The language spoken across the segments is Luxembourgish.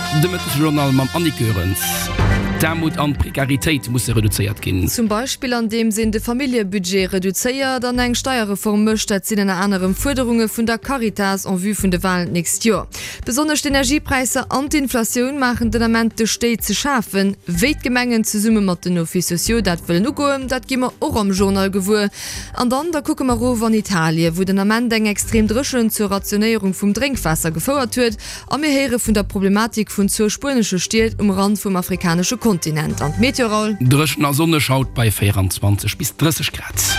De Mëttesjournal mam Annick Goerens. D'Aarmut an d'Prekaritéit musse reduzéiert ginn. Zum Beispill andeems een de Familljebudget reduzéiert an eng Steierreform mécht. Dat sinn ënner anerem Fuerderunge vun der Caritas en vue vun de Walen d'nächst Joer. Besonnesch d'Energiepräisser an d'Inflatioun maachen den Ament de Stéit ze schafen. Wéi d'Gemengen zesumme mat den Offices sociaux dat wëllen ugoen, dat gi mer och am Journal gewuer. An dann, da kucke mer erof an Italien, wou den Ament eng extrem Dréchent zur Rationéierung vum Drénkwaasser gefouert huet. A mir héiere vun der Problematik vun zwou spuenesche Stied um Rand vum afrikanesche Kontinent. An d'Meteo, Raoul? Dréchen a sonneg haut bei 24 bis 30 Grad.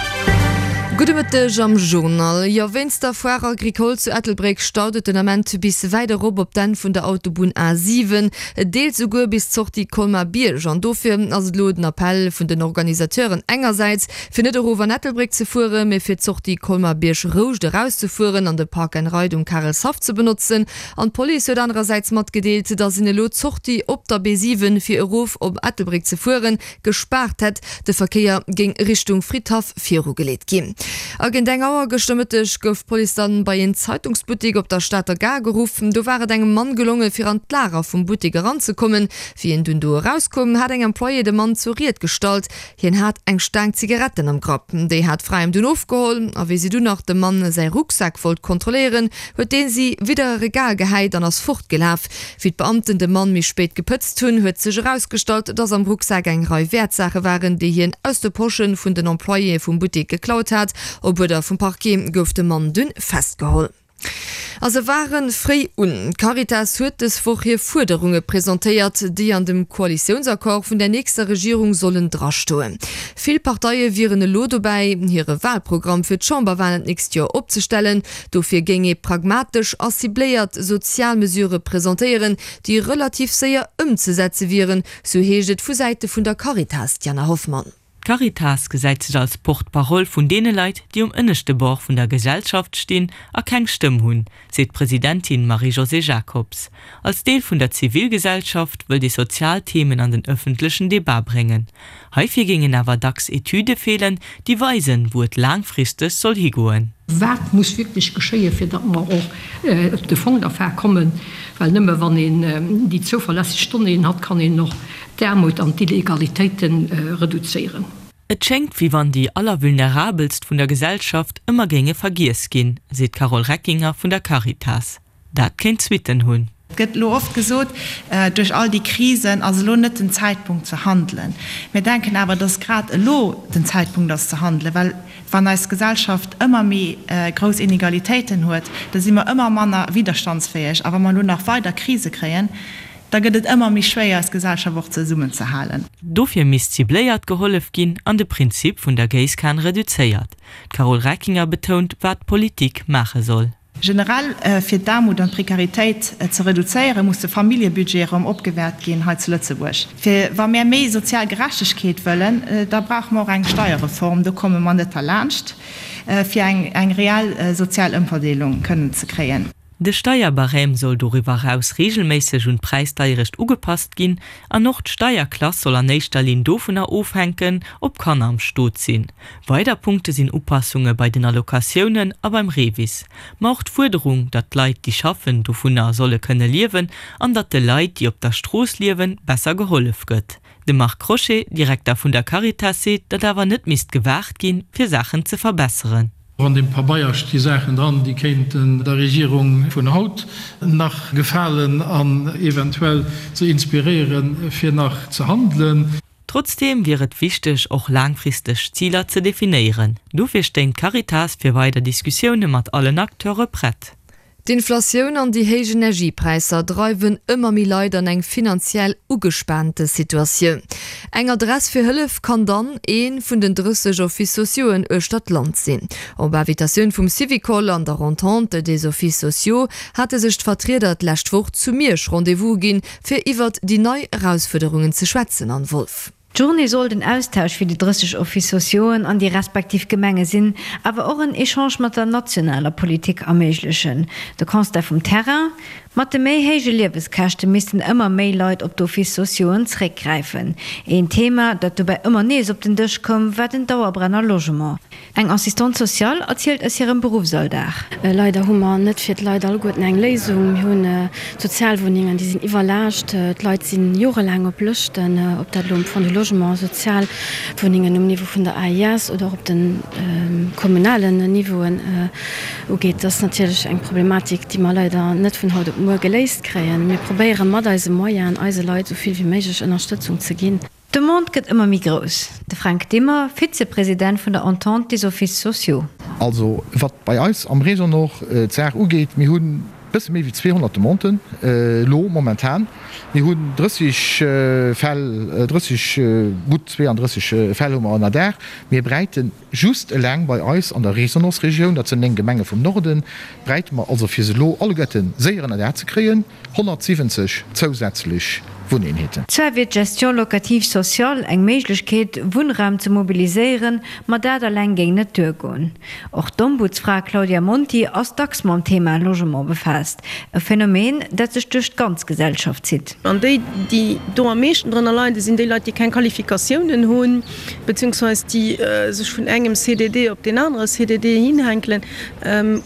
Gudde Mëtteg am Journal. Jo, wéinst der Foire Agricole zu Ettelbréck staut et den Ament bis wäit erop op d'Enn vun der Autobunn A7, deels souguer bis d'Sortie Colmar-Bierg. An dofir ass et elo den Appell vun den Organisateuren engersäits, fir net erof an Ettelbréck ze fueren, mee fir d'Sortie Colmar-Bierg-Rouscht erauszefueren an de Park and Ride um Karelshaff ze benotzen. An d'Police huet anerersäits matgedeelt, datt een elo d'Sortie op der B7 fir erof op Ettelbréck ze fueren, gespaart hätt. De Verkéier géing Richtung Fridhaff virugeleet ginn. A géint eng Auer gëschter Mëtteg gouf d'Police dann bei een Zeitungsbuttek op der Stater Gare geruff. Do war et engem Mann gelonge fir an d'Lager vum Buttek eranzekommen. Wéi en dunn do erauskoum, hat eng Employée de Mann zur Ried gestallt. Hien hat eng Staang Zigaretten am Grapp. Déi hat d'Fra him dunn ofgeholl a wéi si dunn nach dem Mann säi Rucksak wollt kontrolléieren, huet dee si widder e Regal gehäit an ass fortgelaf. Wéi d'Beamten de Mann méi spéit gepëtzt hunn, huet sech erausgestallt, dass am Rucksak eng Rei Wäertsaache waren, déi hien aus de Posche vun den Employéë vum Buttek geklaut hat. Op Uerder vum Parquet gouf de Mann dunn festgeholl. A se ware fréi un. D'Caritas huet dës Woch hir Fuerderunge presentéiert, déi an dem Koalitiounsaccord vun der nächster Regierung sollen drastoen. Vill Parteie wieren elo dobäi, hire Walprogramm fir d'Chamberwalen d'nächst Joer opzestellen. Dofir géing ee pragmatesch a cibléiert sozial Mesurë presentéieren, déi relativ séier ëmzesetze wieren, sou heescht et vu Säite vun der Caritas. D'Jana Hoffmann. D'Caritas gesäit sech als Porte-parole vun deene Leit, déi um ënneschte Bord vun der Gesellschaft stinn a keng Stëmm hunn, seet d'Presidentin Marie-Josée Jacobs. Als Deel vun der Zivilgesellschaft wëllt ee sozial Themen an den ëffentlechen Debat bréngen. Heifir géingen awer dacks Etüde feelen, déi weisen, wou et laangfristeg soll higoen. Wat muss wierklech geschéien, fir datt mer och op de Fong der Fag kommen? Well nëmme wann een déi zouverlässeg Donnéeën hat, kann een och d'Aarmut an d'Illegalitéite reduzéieren. Et schéngt, wéi wann déi Allervulnerabelst vun der Gesellschaft ëmmer géinge vergiess ginn, seet d'Carole Reckinger vun der Caritas. Dat kéint Suitten hunn. Et gëtt elo oft gesot, duerch all déi Krisen ass elo net den Zäitpunkt ze handelen. Mir denken awer, dass grad elo den Zäitpunkt ass ze handelen, well wann eis Gesellschaft ëmmer méi grouss Inegalitéiten huet, da si mer ëmmer manner widderstandsfäeg. A wa mer elo nach weider Krise kréien, Da gëtt et ëmmer méi schwéier, eis Gesellschaft och zesummenzehalen. Dofir misst cibléiert gehollef ginn an de Prinzip vun der Géisskan reduzéiert. D'Carole Reckinger betount, wat d'Politik maache soll. Generell, fir d'Aarmut an d'Prekaritéit ze reduzéieren, muss de Familljebudget erëm opgewäert ginn hei zu Lëtzebuerg. Fir wa mär méi sozial Gerechtegkeet wëllen, da brauche mer och eng Steierreform, do komme mer net derlaanscht, fir eng reell sozial Ëmverdeelung kënnen ze kréien. De Steierbarème soll doriwwer eraus reegelméisseg un d'Präisdeierecht ugepasst ginn an och d'Steierklass soll an éischter Linn dovunner ofhänken, ob Kanner am Stot sinn. Weider Punkte sinn Upassunge bei den Allocatiounen a beim REVIS. Ma och d'Fuerderung, datt d'Leit, déi schaffen, dovunner solle kënne liewen an datt de Leit, déi op der Strooss liewen, besser gehollef gëtt. De Marc Crochet, Direkter vun der Caritas, seet, datt awer net misst gewaart ginn, fir Saachen ze verbesseren. An deem Pabeier sti Saachen dran, déi kéinten der Regierung vun haut nach gefalen an eventuell se inspiréieren, fir nach ze handelen. Trotzdeem wier et wichteg, och laangfristeg Ziler ze definéieren. Dofir stéing d'Caritas fir weider Diskussioune mat allen Acteure prett. D'Inflatioun an déi héich Energiepräisser dreiwen ëmmer méi Leit an eng finanziell ugespaante Situatioun. Eng Adress fir Hëllef kann dann ee vun den 30 Offices sociauxen uechter d'Land sinn. Op Invitatioun vum Syvicol an der Entente des Offices sociaux hate sech d'Vertrieder d'lescht Woch zu Miersch Rendez-vous ginn, fir iwwert déi nei Erausfuerderungen ze schwätzen. Anne Wolff. D'Journée soll den Austausch fir déi 30 Offices sociauxen an déi respektiv Gemenge sinn, awer och en Echange mat der nationaler Politik erméiglechen. De Constat vum Terrain, Mat de méi héije Lieweskäschte missten ëmmer méi Leit op d'Offices sociauxen zréckgräifen. Een Thema, dat dobäi ëmmer nees op den Dësch koum, war den Dauerbrenner Logement. Eng Assistante sociale erzielt aus hirem Beruffsalldag. Leider hu mer net fir d'Leit alleguerten eng Léisung. Mir hunn d'Sozialwunnengen, déi sinn iwwerlaascht. D'Leit si jorelaang op Lëschten, ob dat elo um Fonds du Logement, Sozialwunnengen um Niveau vun der AIS oder och op de kommunalen Niveauen ugeet. Dat ass natierlech eng Problematik, déi mer leider net vun haut op muer geléist kréien. Mir probéiere mat eise Moyenen eise Leit esou vill wéi méiglech Ënnerstëtzung ze ginn. D'Demande gëtt ëmmer méi grouss. De Fränk Dimmer, Vizepresident vun der Entente des Offices sociaux. Also wat bei eis am Réseau Nord d'Saach ugeet, mir hunn e bësse méi wéi 200 Demanden elo momentan. Mir hunn 30 Fäll, 30, gutt 32 Fäll hu mer ënnerdaach. Mir bräiten just eleng bei eis an der Résonance-Regioun, dat sinn 9 Gemenge vum Norden, bräite mer also fir se elo alleguerte séier ënnerdaach ze kréien, 170 zousätzlech Wunneenheeten. Zwar wier d'Gestion locative sociale eng Méiglechkeet, Wunnraum ze mobiliséieren, ma dat eleng géing net duergoen. Och d'Ombudsfra Claudia Monti ass dacks mam Thema Logement befaasst, e Phänomen, dat sech duerch d'ganz Gesellschaft zitt. An déi, déi do am meeschten drënner leiden, sinn déi Leit, déi keng Qualifikatiounen hunn, beziehungsweise déi sech vun engem CDD op deen anere CDD hinhänkelen.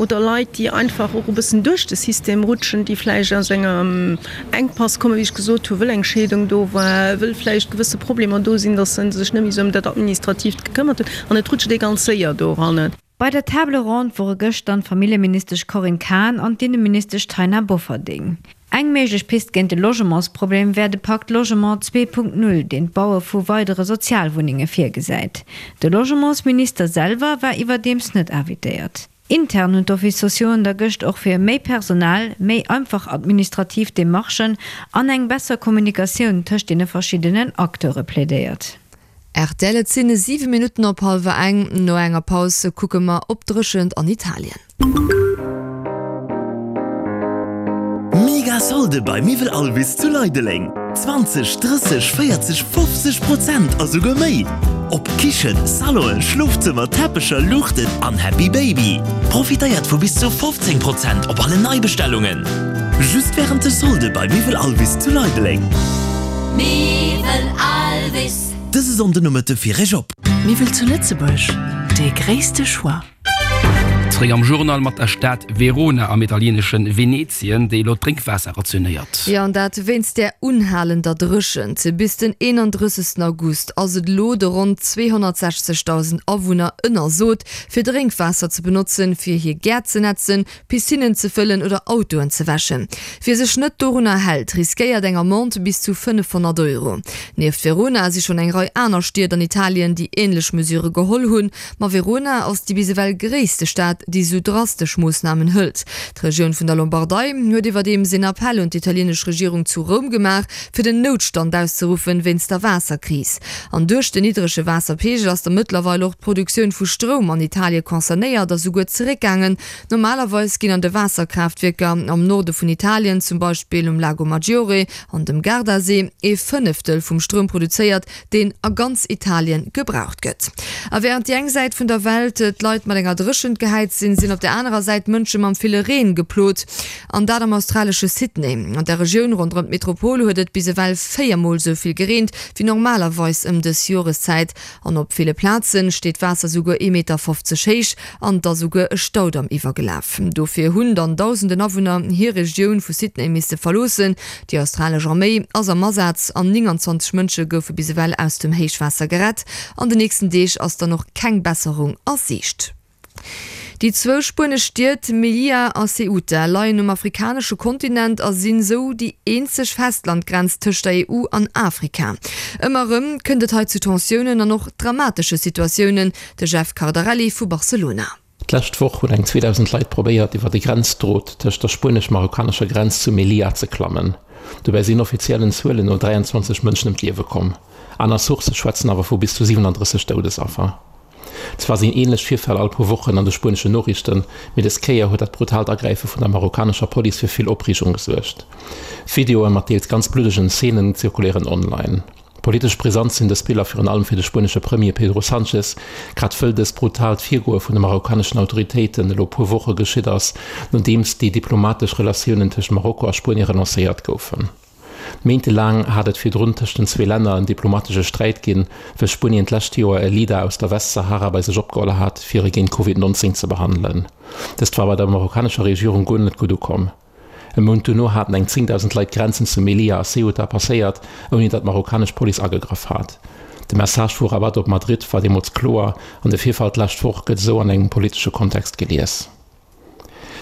Oder Leit, déi einfach och e bëssen duerch de System rutschen, déi vläicht aus engem Enkpass kommen, wéi ech gesot hunn, wëll eng Scheedung do war, wëll vläicht gewësse Problemer do sinn, datt se sech net méi esou ëm dat Administratiivt gekëmmert hunn. An et rutscht ee ganz séier doran. Bei der Table ronde wore gëschter d'Familljeministesch Corinne Cahen an d'Inneministesch Taina Bofferding. Eng méiglech Pist géint de Logementsproblem wär de Pakt Logement 2.0, deen d'Baue vu weidere Sozialwunnenge virgesäit. De Logementsminister selwer war iwwerdeems net invitéiert. Intern hunn d'Offices sociauxen da gëscht och fir méi Personal, méi einfach administrativ Demarchen an eng besser Kommunikatioun tëscht deene verschiddenen Acteure plädéiert. Rtl, Et sinn 7 Minutten op hallwer eng. No enger Paus kucke mer op d'Dréchent an Italien. Mega Solde bei Miwwel Alvis zu Leideleng! 20, 30, 40, 50 Prozent a souguer méi! Op Kichen, Salonen, Schlofzëmmer, Teppecher, Luuchten an Happy Baby. Profitéiert vu bis zu 15 Prozent op alle Neibestellungen! Just wärend de Solde bei Miwwel Alvis zu Leideleng. Miwwel Alvis. Dëse Sonndenomëtte fir Iech op. Miwwel zu Lëtzebuerg, dee gréisste Choix. Zeréck am Journal mat der Stad Verona am italieenesche Venezien, déi elo d'Drénkwaasser rationéiert. Jo, an dat wéinst där unhalender Dréchent. Bis den 31 August ass et elo de ronn 260.000 Awunner ënnersot, fir Drénkwaasser ze benotzen, fir hir Gäert ze nätzen, Piscinnen ze fëllen oder Autoen ze wäschen. Wie sech net dorunner hält, riskéiert eng Amende bis zu 500 Euro. Nieft Verona si schonn eng Rei aner Stied an Italien, déi änlech Mesure geholl hunn. Ma Verona ass déi bis ewell gréisste Stad, déi esou drastesch Moossnamen hëlt. D'Regioun vun der Lombardei huet iwwerdeems een Appell un d'italienesch Regierung zu Roum gemaach, fir den Noutstand auszeruffen wéinst der Waasserkris. An duerch den niddrege Waasserpeegel ass da mëttlerweil och d'Produktioun vu Stroum an Italie concernéiert a souguer zeréckgaangen. Normalerweis ginn an de Waasserkraaftwierker am Norde vun Italien, zum Beispill um Lago Maggiore an dem Gardasee, ee Fënneftel vum Stroum produzéiert, deen a ganz Italien gebraucht gëtt. A wärend déi eng Säit vun der Welt d'Leit mat enger Dréchent gehäit sinn, sinn op der anerer Säit d'Mënsche mam ville Reen geplot. An dat am australesche Sydney. An der Regioun ronderëm d'Metropol huet et bis ewell 4 Mol sou vill gereent wéi normalerweis ëm dës Joreszäit. An op ville Plaze steet d'Waasser souguer ee Meter 50 héich an et ass souguer e Staudamm iwwergelaf. Dofir hunn dann dausenden Awunner hir Regioun vu Sydney misse verloossen. Déi australesch Arméi ass am Asaz an 29 Mënsche goufe bis ewell aus dem Héichwaasser gerett. An de nächsten Deeg ass dann och keng Besserung a Siicht. Déi zwou spuenesch Stied Melilla a Ceuta leien um afrikanesche Kontinent a sinn esou déi eenzeg Festlandgrenz tëscht der EU an Afrika. Ëmmer erëm kënnt et hei zu Tensiounen an och dramatesche Situatiounen. De Jeff Cardarelli vu Barcelona. D'lescht Woch hunn eng 2.000 Leit probéiert, iwwer de Grenzdrot tëscht der spuenesch-marokkanescher Grenz zu Melilla ze klammen. Dobäi sinn offiziellen Zuelen no 23 Mënschen ëm d'Liewe komm. Aner Sourcë schwätzen awer vu bis zu 37 Doudesaffer. Zwar sinn änlech Virfäll all puer Wochen an de spueneschen Noriichten, mee des Kéier huet dat brutaalt Agräife vun der marokkanescher Police fir vill Opreegung gesuergt. Videoe mat deels ganz bluddegen Zeenen zirkuléieren online. Politesch brisant sinn dës Biller virun allem fir de spuenesche Premier Pedro Sanchez, grad wëll dëst brutaalt Virgoe vun de marokkaneschen Autoritéiten elo puer Woche geschitt ass, nodeems déi diplomatesch Relatiounen tëscht Marokko a Spuenie relancéiert goufen. Méintelaang hat et virdrun tëscht den zwee Länner en diplomatesche Sträit ginn, wëll Spuenien d'lescht Joer e Leader aus der Westsahara bei sech opgeholl hat, fir e géint Covid 19 ze behandelen. Dëst war bei der marokkanescher Regierung guer net gutt ukomm. E Mount duerno haten eng 10.000 Leit d'Grenzen zu Melilla a Ceuta passéiert, ouni datt d'marokkanesch Police agegraff hat. De Message vu Rabat op Madrid war deemools kloer an de Virfall d'lescht Woch gëtt esou an engem politesche Kontext gelies.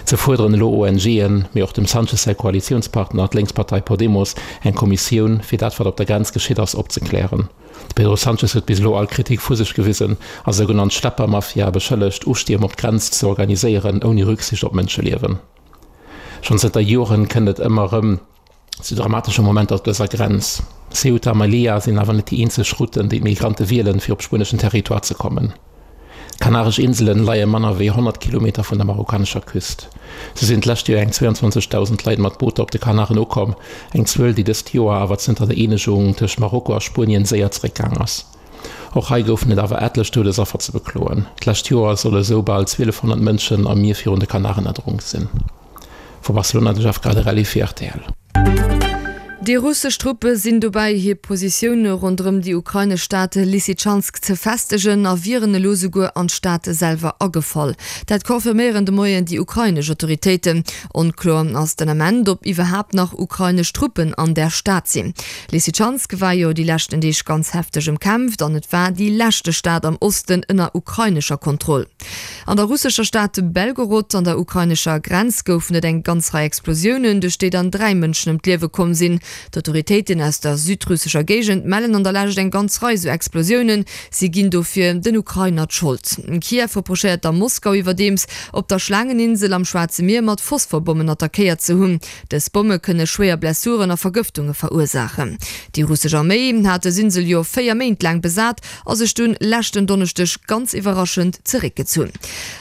Ze fuerderen elo ONGen, mee och dem Sanchez säi Koalitiounspartner, d'Lénkspartei Podemos, eng Kommissioun, fir dat wat op der Grenz geschitt ass, opzeklären. De Pedro Sanchez huet bis elo all Kritik vu sech gewisen a sougenannt Schleppermafia beschëllegt, Ustierm op d'Grenz ze organiséieren, ouni Rücksicht op Mënscheliewen. Schonn zënter Joren kënnt et ëmmer erëm zu dramatesche Momenter op dëser Grenz. Ceuta a Melilla sinn awer net déi eenzeg Routen, déi d'Migrante wielen, fir op spueneschen Territoire ze kommen. D'Kanaresch Inselen leie manner wéi 100 Kilometer vun der marokkanescher Küst. Sou sinn d'lescht Joer eng 22.000 Leit mat Booter op de Kanaren ukomm, eng Zuel, déi dëst Joer awer zënter der Eenegung tëscht Marokko a Spuenien séier zeréckgaang ass. Och hei goufen et awer etlech Doudesaffer ze bekloen. D'lescht Joer solle sou bal 1.200 Mënschen am Mier virun de Kanaren erdronk sinn. Vu Barcelona de Jeff Gradarelli fir rtl. Déi russesch Truppe sinn dobäi, hir Positioune ronderëm déi ukrainesch Stad Lysychansk ze festegen a wieren elo souguer an d'Stad selwer agefall. Dat confirméieren de Moien déi ukrainesch Autoritéiten. Onkloer ass den Ament, ob iwwerhaapt nach ukrainesch Truppen an där Stad sinn. Lysychansk war jo déi leschten Deeg ganz hefteg ëmkämpft an et war déi leschte Stad am Osten ënner ukrainescher Kontroll. An der russescher Stad Belgorod an der ukrainescher Grenz goufen et eng ganz Rei Explosiounen, duerch déi dann 3 Mënschen ëm d'Liewe komm sinn. D'Autoritéiten aus der südrussescher Géigend mellen an der Lescht eng ganz Rei sou Explosiounen. Si ginn dofir den Ukrainer d'Schold. Kiew reprochéiert der Moskau iwwerdeems, op der Schlaangeninsel am Schwaarze Mier mat Phosphorbommen attackéiert ze hunn. Dës Bomme kënne schwéier Blessuren a Vergëftunge verursaachen. Déi russesch Arméi hat dës Insel jo 4 Méint laang besat a sech dunn leschten Donneschdeg ganz iwwerraschend zeréckgezunn.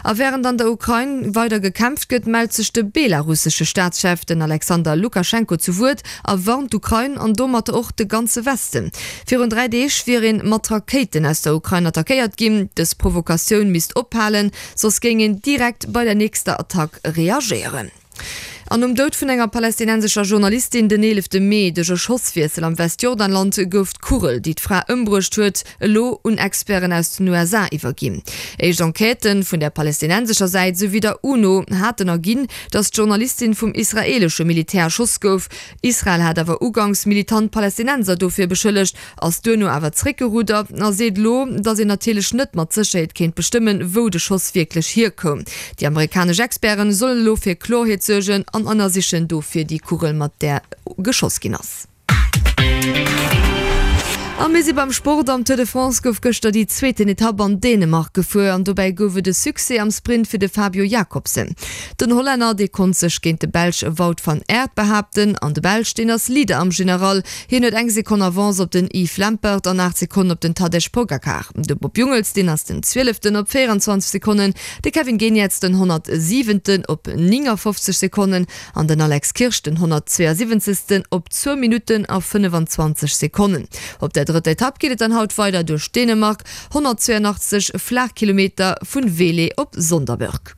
A wärend an der Ukrain weider gekämpft gëtt, mellt sech de belarussesche Staatschef, den Alexander Lukaschenko, zu Wuert a warnt d'Ukrain an domatter och de ganze Westen. Virun 3 Deeg wier een mat Rakéiten aus der Ukrain attackéiert ginn. Dës Provokatioun misst ophalen, soss géing een direkt bei der nächster Attack reagéieren. An nom Doud vun enger palästinensescher Journalistin den 11 Mee duerch e Schosswiessel am Westjordanland gouf d'Kugel, déi d'Fra ëmbruecht huet, elo un Experten aus den USA iwwerginn. Éischt Enquêtë vun der palästinensescher Säit esouwéi der UNO haten erginn, datt d'Journalistin vum israeelesche Militär erschoss gouf. Israel hat awer uganks militant Palästinenser dofir beschëllegt, ass duerno awer zeréckgeruddert a seet elo, datt een natierlech net mat Sécherheet kéint bestëmmen, wou de Schoss wierklech hierkoum. Déi amerikanesch Experten sollen elo fir Klorheet suergen an ënnersichen dofir déi Kugel, mat där geschoss ginn ass. A mir si beim Sport. Am Tour de France gouf gëschter déi zweeten Etapp an Dänemark gefuer an dobäi gouf et e Succès am Sprint fir de Fabio Jakobsen. Den Hollänner, dee konnt sech géint de Belsch Wout van Aert behaapten an de Belsch, deen ass Leader am General. Hien huet eng Sekonn Avance op den Yves Lampaert an 8 Sekonnen op den Tadej Pogacar. De Bob Jungels, deen ass den Zwieleften op 24 Sekonnen, de Kevin Geniets den 107. Op 59 Sekonnen an den Alex Kirsch den 172. Op zwou Minutten a 25 Sekonnen. Op der drëtter Etapp geet et dann haut weider duerch Dänemark, 182 Flaachkilometer vun Vele op Sonderburg.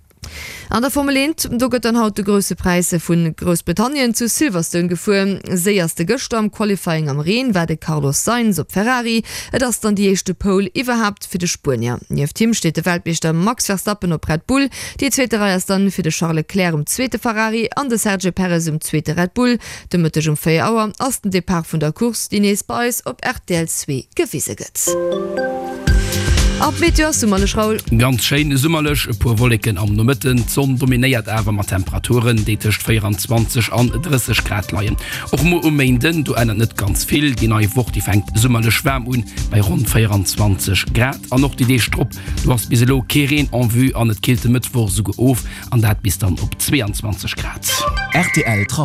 An der Formel 1, do gëtt dann haut de Grousse Präis vu Groussbritannien zu Silverstone gefuer. Séierste gëschter am Qualifying am Reen war de Carlos Sainz op Ferrari. Et ass dann déi éischte Pole iwwerhaapt fir de Spuenier. Nieft him steet de Weltmeeschter Max Verstappen op Red Bull. Déi zweete Rei ass dann fir de Charles Leclerc um zweete Ferrari an de Sergio Perez um zweete Red Bull. De Mëtteg um 4 Auer ass den Depart vun der Course, déi nees bei eis op rtl 2 gewise gëtt. A d'Meteo ass summerlech, Raoul. Ganz schéin summerlech, e puer Wolleken am Nomëtten, d'Sonn dominéiert awer mat Temperaturen, déi tëscht 24 an 30 Grad leien. Och muer um Méinden, do ännert net ganz vill, déi nei Woch, déi fänkt summerlech waarm un, bei ronn 24 Grad. An och déi Deeg drop, do ass bis elo kee Reen en vue an et killt de Mëttwoch esouguer of, an dat bis dann op 22 Grad. Rtl Trafic.